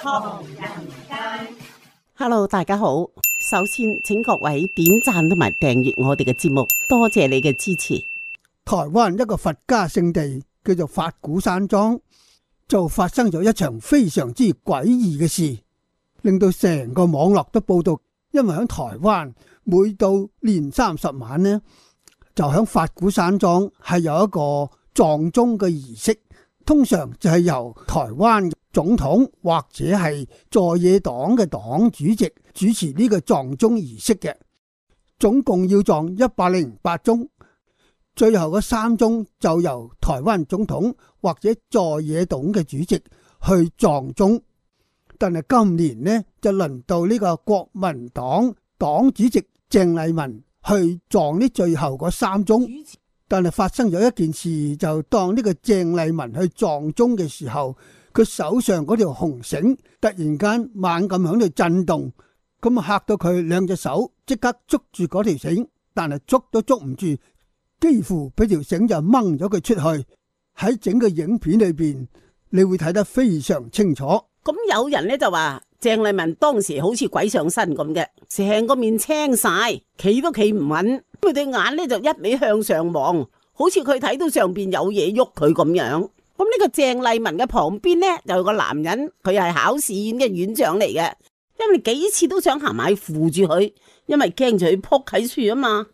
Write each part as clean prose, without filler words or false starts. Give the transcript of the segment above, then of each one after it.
唐人街。 Hello， 大家好。首先，請各位點讚同埋訂閱我哋嘅節目，多謝你嘅支持。台灣一個佛家聖地叫做法鼓山莊，就發生咗一場非常之詭異嘅事，令到成個網絡都報道。因為喺台灣每到年30晚呢，就喺法鼓山莊係有一個撞鐘嘅儀式，通常就係由台灣總統或者係在野黨嘅黨主席主持呢個撞鐘儀式嘅，總共要撞108鐘，最後嗰3鐘就由台灣總統或者在野黨嘅主席去撞鐘。但係今年呢，就輪到呢個國民黨黨主席鄭麗文去撞呢最後嗰3鐘。但係發生咗一件事，就當呢個鄭麗文去撞鐘嘅時候，佢手上嗰條紅繩突然間猛咁響度震動，咁嚇到佢2隻手即刻捉住嗰條繩，但係捉都捉唔住，幾乎俾條繩就掹咗佢出去。喺整個影片裏邊，你會睇得非常清楚。咁有人呢就話鄭麗文當時好似鬼上身咁嘅，成個面青晒，企都企唔穩，佢對眼呢就一味向上望，好似佢睇到上邊有嘢喐佢咁樣。咁呢個鄭麗文嘅旁邊呢就有個男人，佢係考試院嘅院長嚟嘅，因為幾次都想行埋扶住佢，因為驚住佢撲喺樹啊嘛。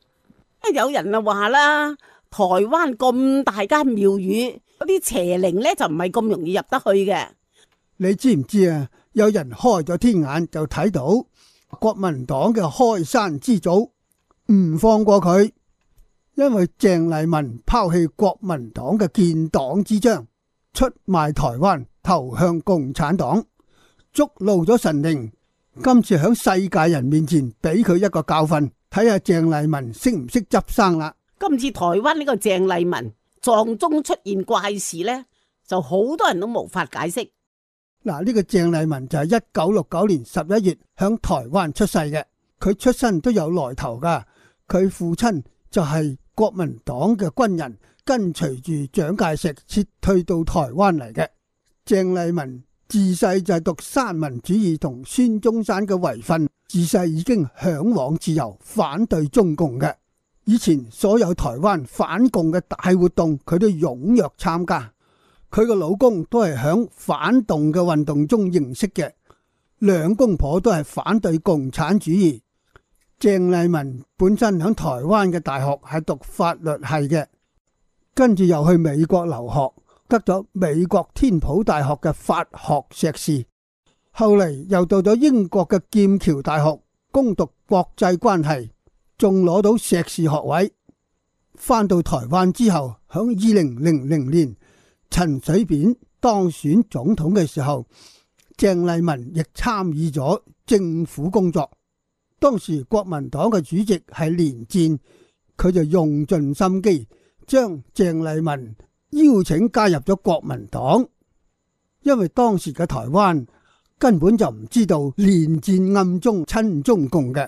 有人就話啦，台灣咁大間廟宇，嗰啲邪靈呢就唔係咁容易入得去嘅。你知唔知啊？有人開咗天眼就睇到國民黨嘅開山之祖唔放過佢，因為鄭麗文拋棄國民黨嘅建黨之章，出賣台灣，投向共產黨，觸怒咗神靈。今次響世界人面前俾佢一個教訓，睇下鄭麗文識唔識執生啦。今次台灣呢個鄭麗文撞鐘出現怪事呢，就好多人都無法解釋。嗱，呢個鄭麗文就係1969年11月響台灣出世嘅，佢出身都有來頭噶。佢父親就係國民黨嘅軍人，跟隨住蔣介石撤退到台灣嚟嘅。鄭麗文自細就係讀三民主義同孫中山嘅遺訓，自細已經向往自由，反對中共嘅。以前所有台灣反共嘅大活動，佢都踴躍參加。佢個老公都係響反動嘅運動中認識嘅，兩公婆都係反對共產主義。鄭麗文本身響台灣嘅大學係讀法律系嘅，跟住又去美國留學，得咗美國天普大學嘅法學碩士，後嚟又到咗英國嘅劍橋大學攻讀國際關係，仲攞到碩士學位。翻到台灣之後，響2000年陳水扁當選總統嘅時候，鄭麗文亦參與咗政府工作。當時國民黨嘅主席係連戰，佢就用盡心機將鄭麗文邀請加入咗國民黨，因為當時嘅台灣根本就唔知道連戰暗中親中共嘅。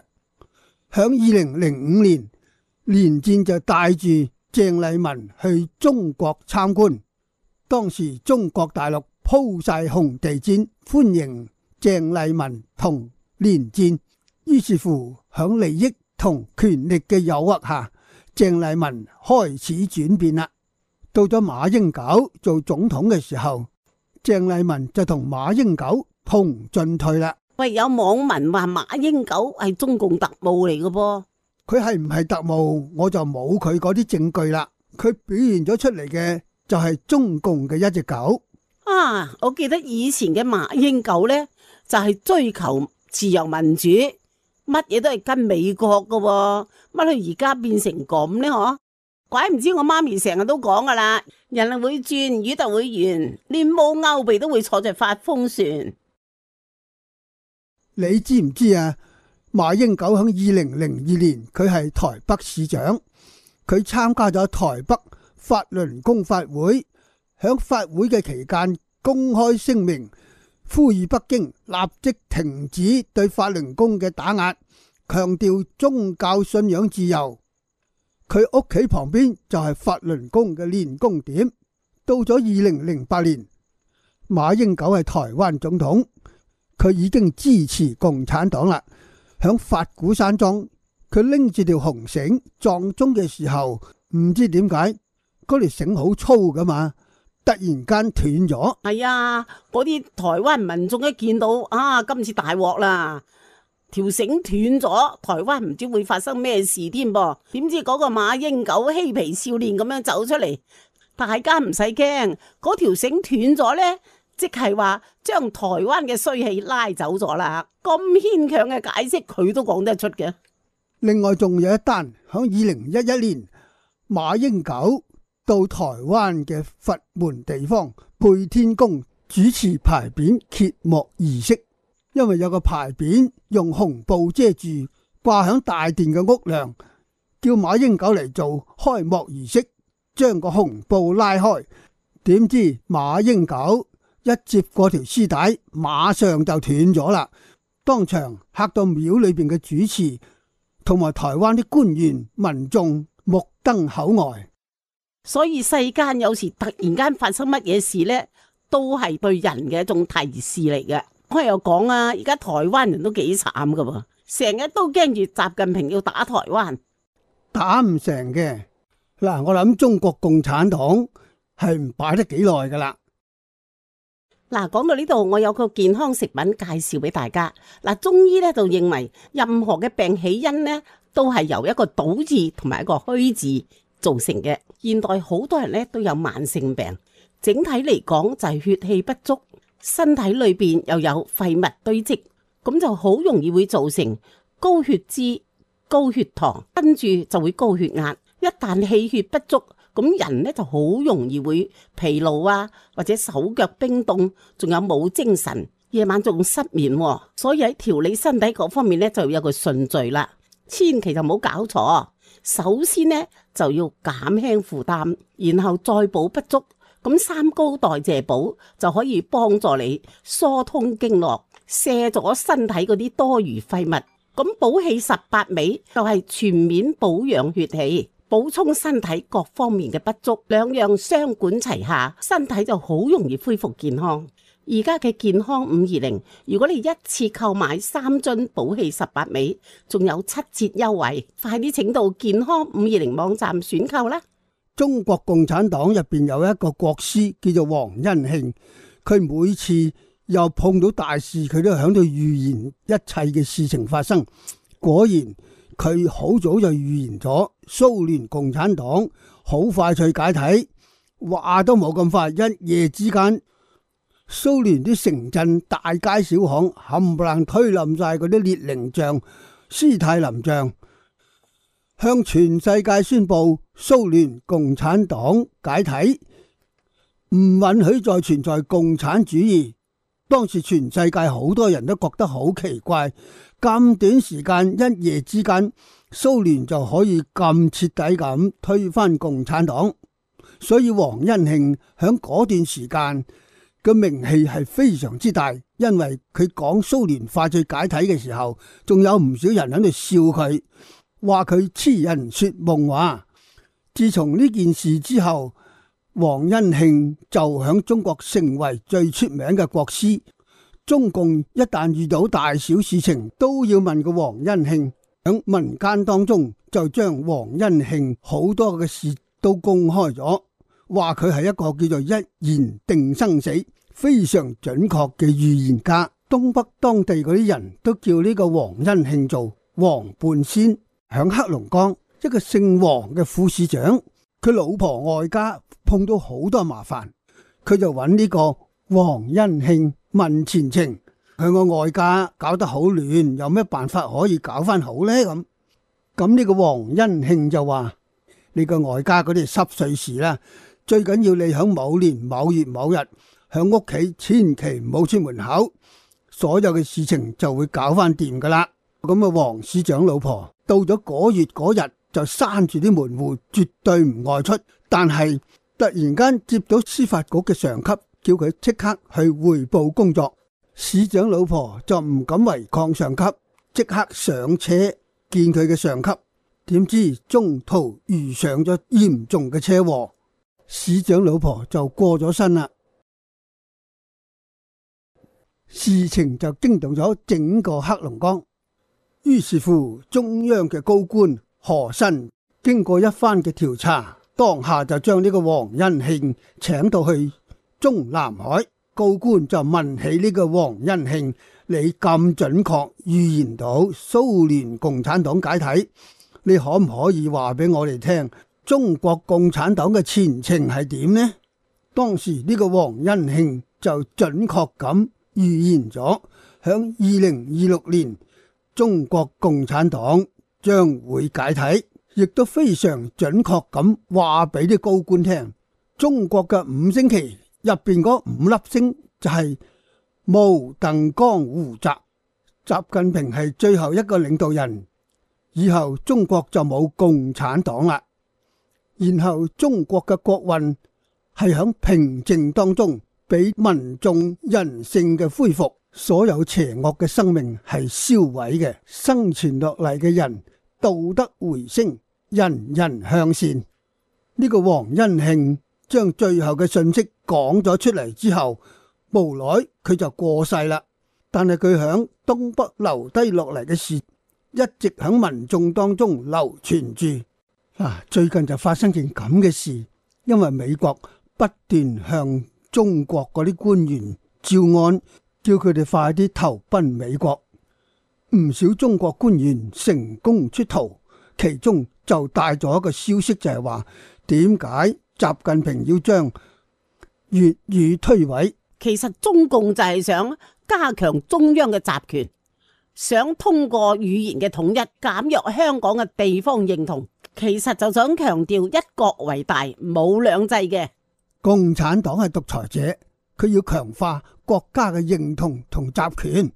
響2005年，連戰就帶住鄭麗文去中國參觀。當時中國大陸鋪晒紅地毯歡迎鄭麗文同連戰，於是乎響利益同權力嘅誘惑下，鄭麗文開始轉變啦。到咗馬英九做總統嘅時候，鄭麗文就同馬英九同進退啦。喂，有網民話馬英九係中共特務嚟嘅噃，佢係唔係特務我就冇佢嗰啲證據啦。佢表現咗出嚟嘅就係中共嘅一隻狗啊！我記得以前嘅馬英九呢，就係追求自由民主，乜嘢都係跟美國噶，乜佢而家變成咁呢？嗬，怪唔知我媽咪成日都講噶啦，人係會轉，魚就會圓，連冇勾鼻都會坐在發風船。你知唔知啊？馬英九喺2002年佢係台北市長，佢參加咗台北法輪功法會，響法會嘅期間公開聲明，呼籲北京立即停止對法輪功嘅打壓，強調宗教信仰自由。佢屋企旁邊就係法輪功嘅練功點。到咗2008年，馬英九係台灣總統，佢已經支持共產黨啦。響法鼓山莊，佢拎住條紅繩撞鐘嘅時候，唔知點解嗰條繩好粗噶嘛，突然間斷咗。係啊，嗰啲台灣民眾一見到啊，今次大鑊啦，條繩斷咗，台灣唔知會發生咩事添噃。點知嗰個馬英九嬉皮少年咁樣走出嚟，大家唔使驚，嗰條繩斷咗呢，即係話將台灣嘅衰氣拉走咗啦。咁牽強嘅解釋佢都講得出嘅。另外仲有一單，響2011年，馬英九到台灣嘅佛門地方配天宮主持牌匾揭幕儀式，因為有個牌匾用紅布遮住，掛響大殿嘅屋梁，叫馬英九嚟做開幕儀式，將個紅布拉開。點知馬英九一接過條絲帶，馬上就斷咗啦，當場嚇到廟裏邊嘅主持同埋台灣啲官員民眾目瞪口呆。所以世間有時突然間發生乜嘢事呢，都係對人嘅一種提示嚟嘅。我又講啊，而家台灣人都幾慘噶喎，成日都驚住習近平要打台灣，打唔成嘅。嗱，我諗中國共產黨係唔擺得幾耐噶啦。嗱，講到呢度，我有個健康食品介紹俾大家。嗱，中醫咧就認為任何嘅病起因呢，都係由一個倒字同埋一個虛字造成嘅。現代好多人咧都有慢性病，整體嚟講就係血氣不足，身體裏邊又有廢物堆積，咁就好容易會造成高血脂、高血糖，跟住就會高血壓。一旦氣血不足，咁人咧就好容易會疲勞啊，或者手腳冰凍，仲有冇精神，夜晚仲失眠。所以喺調理身體嗰方面咧就有個順序啦，千祈就唔好搞錯。首先呢，就要減輕負擔，然後再補不足，咁三高代謝補就可以幫助你疏通經絡，卸咗身體嗰啲多餘廢物。咁補氣18味就係全面保養血氣，補充身體各方面嘅不足，兩樣雙管齊下，身體就好容易恢復健康。而家嘅健康520，如果你一次購買3樽補氣18味，仲有7折優惠，快啲請到健康520網站選購啦！中國共產黨入邊有一個國師叫做黃恩慶，佢每次又碰到大事，佢都響度預言一切嘅事情發生。果然佢好早就預言咗蘇聯共產黨好快脆解體，話都冇咁快，一夜之間蘇聯啲城鎮大街小巷冚唪唥推冧晒嗰啲列寧像、斯大林像，向全世界宣布蘇聯共產黨解體，唔允許再存在共產主義。當時全世界好多人都覺得好奇怪，咁短時間一夜之間蘇聯就可以咁徹底咁推翻共產黨，所以黃恩慶響嗰段時間嘅名氣係非常之大，因為佢講蘇聯快脆解體嘅時候，仲有唔少人喺度笑佢，話佢痴人說夢話。自從呢件事之後，黃恩慶就響中國成為最出名嘅國師。中共一旦遇到大小事情，都要問個黃恩慶。響民間當中就將黃恩慶好多嘅事都公開咗，話佢係一個叫做一言定生死，非常準確嘅預言家。東北當地嗰啲人都叫呢個黃恩慶做黃半仙。響黑龍江，一個姓黃嘅副市長，佢老婆外家碰到好多麻煩，佢就揾呢個黃恩慶問前程。佢個外家搞得好亂，有咩辦法可以搞翻好呢？咁呢個黃恩慶就話：你個外家嗰啲濕碎事啦，最緊要你響某年某月某日響屋企，千祈唔好出門口，所有嘅事情就會搞翻掂噶啦。咁啊，黃市長老婆到咗嗰月嗰日就閂住啲門戶，絕對唔外出。但係突然間接到司法局嘅上級叫佢即刻去匯報工作，市長老婆就唔敢違抗上級，即刻上車見佢嘅上級。點知中途遇上咗嚴重嘅車禍，市長老婆就過咗身啦。事情就驚動咗整個黑龍江。於是乎，中央嘅高官何新經過一番嘅調查，當下就將呢個黃恩慶請到去中南海。高官就問起呢個黃恩慶，你咁準確預言到蘇聯共產黨解體，你可唔可以話俾我哋聽，中國共產黨嘅前程係點呢？當時呢個黃恩慶就準確咁預言咗，響2026年中國共產黨將會解體，亦都非常準確咁話俾啲高官聽，中國嘅五星旗入邊嗰5粒星就係毛、鄧、江、胡、習。習近平係最後一個領導人，以後中國就冇共產黨啦。然後中國嘅國運係響平靜當中，俾民眾人性嘅恢復，所有邪惡嘅生命係銷毀嘅，生存落嚟嘅人道德回升，人人向善。呢個黃恩慶將最後嘅信息講咗出嚟之後，無奈佢就過世啦。但係佢響東北留低落嚟嘅事，一直響民眾當中流傳住。最近就發生件咁嘅事，因為美國不斷向中國嗰啲官員招安，叫佢哋快啲投奔美國。唔少中國官員成功出逃，其中就帶咗一個消息，就係話點解習近平要將粵語推諉。其實中共就係想加強中央嘅集權，想通過語言嘅統一減弱香港嘅地方認同，其實就想強調一國為大，冇兩制嘅。共產黨係獨裁者，佢要強化國家嘅認同同集權。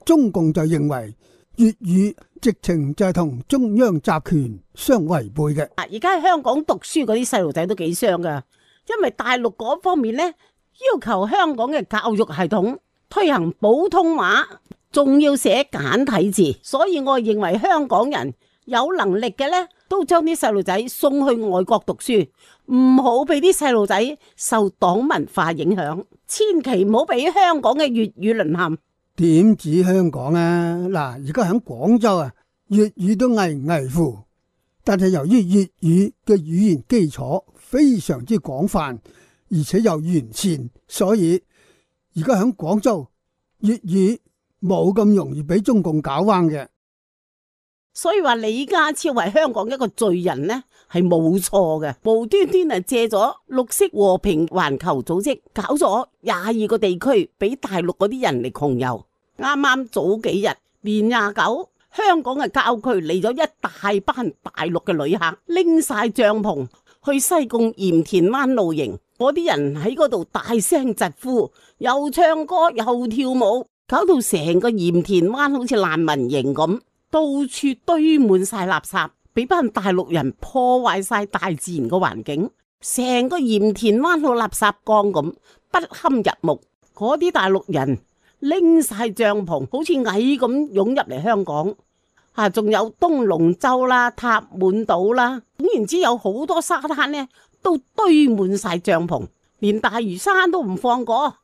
中共就認為粵語直情就係同中央集權相違背嘅。而家喺香港讀書嗰啲細路仔都幾傷噶，因為大陸嗰方面呢，要求香港嘅教育系統推行普通話，仲要寫簡體字，所以我認為香港人有能力嘅呢，都將啲細路仔送去外國讀書，唔好俾啲細路仔受黨文化影響，千祈唔好俾香港嘅粵語淪陷。點止香港啊？而家喺廣州啊，粵語都危危乎，但係由於粵語嘅語言基礎非常之廣泛，而且又完善，所以而家喺廣州粵語冇咁容易俾中共搞彎嘅。所以話李家超係香港一個罪人呢，係冇錯嘅，無端端係借咗綠色和平環球組織搞咗22個地區俾大陸嗰啲人嚟窮遊。啱啱早幾日年29，香港嘅郊區嚟咗一大班大陸嘅旅客，拎晒帳篷去西貢鹽田灣露營。嗰啲人喺嗰度大聲疾呼，又唱歌又跳舞，搞到成個鹽田灣好似難民營咁，到處堆滿晒垃圾，俾班大陸人破壞晒大自然嘅環境，成個鹽田灣好垃圾缸咁，不堪入目。嗰啲大陸人拎晒帳篷，好似蟻咁湧入嚟香港。仲有東龍洲啦、塔滿島啦，總言之有好多沙灘呢，都堆滿晒帳篷，連大嶼山都唔放過。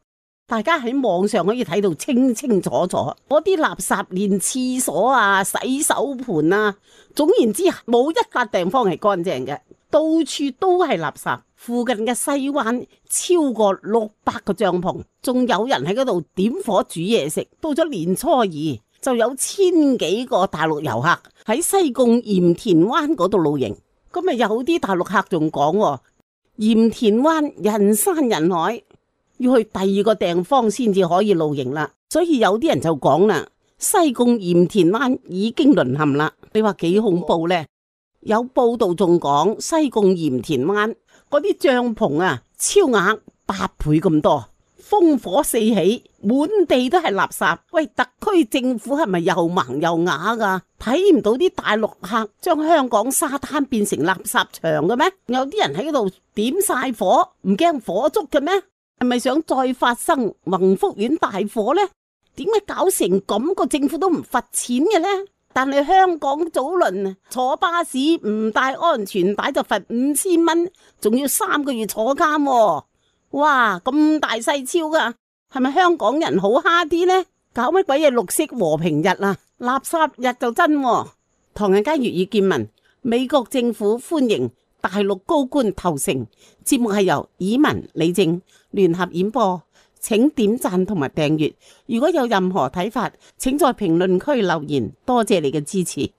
大家喺網上可以睇到清清楚楚，嗰啲垃圾連廁所啊、洗手盆啊，總言之冇一笪地方係乾淨嘅，到處都係垃圾。附近嘅西灣超過600個帳篷，仲有人喺嗰度點火煮嘢食。到咗年初二，就有1000幾個大陸遊客喺西貢鹽田灣嗰度露營。咁有啲大陸客仲講，鹽田灣人山人海，要去第2個地方先至可以露營啦。所以有啲人就講啦，西貢鹽田灣已經淪陷啦。你話幾恐怖呢？有報道仲講西貢鹽田灣嗰啲帳篷啊，超額8倍咁多，烽火四起，滿地都係垃圾。喂，特區政府係咪又盲又啞噶？睇唔到啲大陸客將香港沙灘變成垃圾場嘅咩？有啲人喺嗰度點晒火，唔驚火燭嘅咩？係咪想再發生宏福苑大火呢？點解搞成咁個政府都唔罰錢嘅呢？但係香港早輪坐巴士唔帶安全帶就罰5000蚊，仲要3個月坐監喎。哇，咁大細超噶！係咪香港人好蝦啲呢？搞乜鬼嘢綠色和平日啊？垃圾日就真喎。唐人街粵語見聞，美國政府歡迎大陸高官投誠。節目係由以文、李正聯合演播，請點讚同埋訂閱。如果有任何睇法，請在評論區留言。多謝你嘅支持。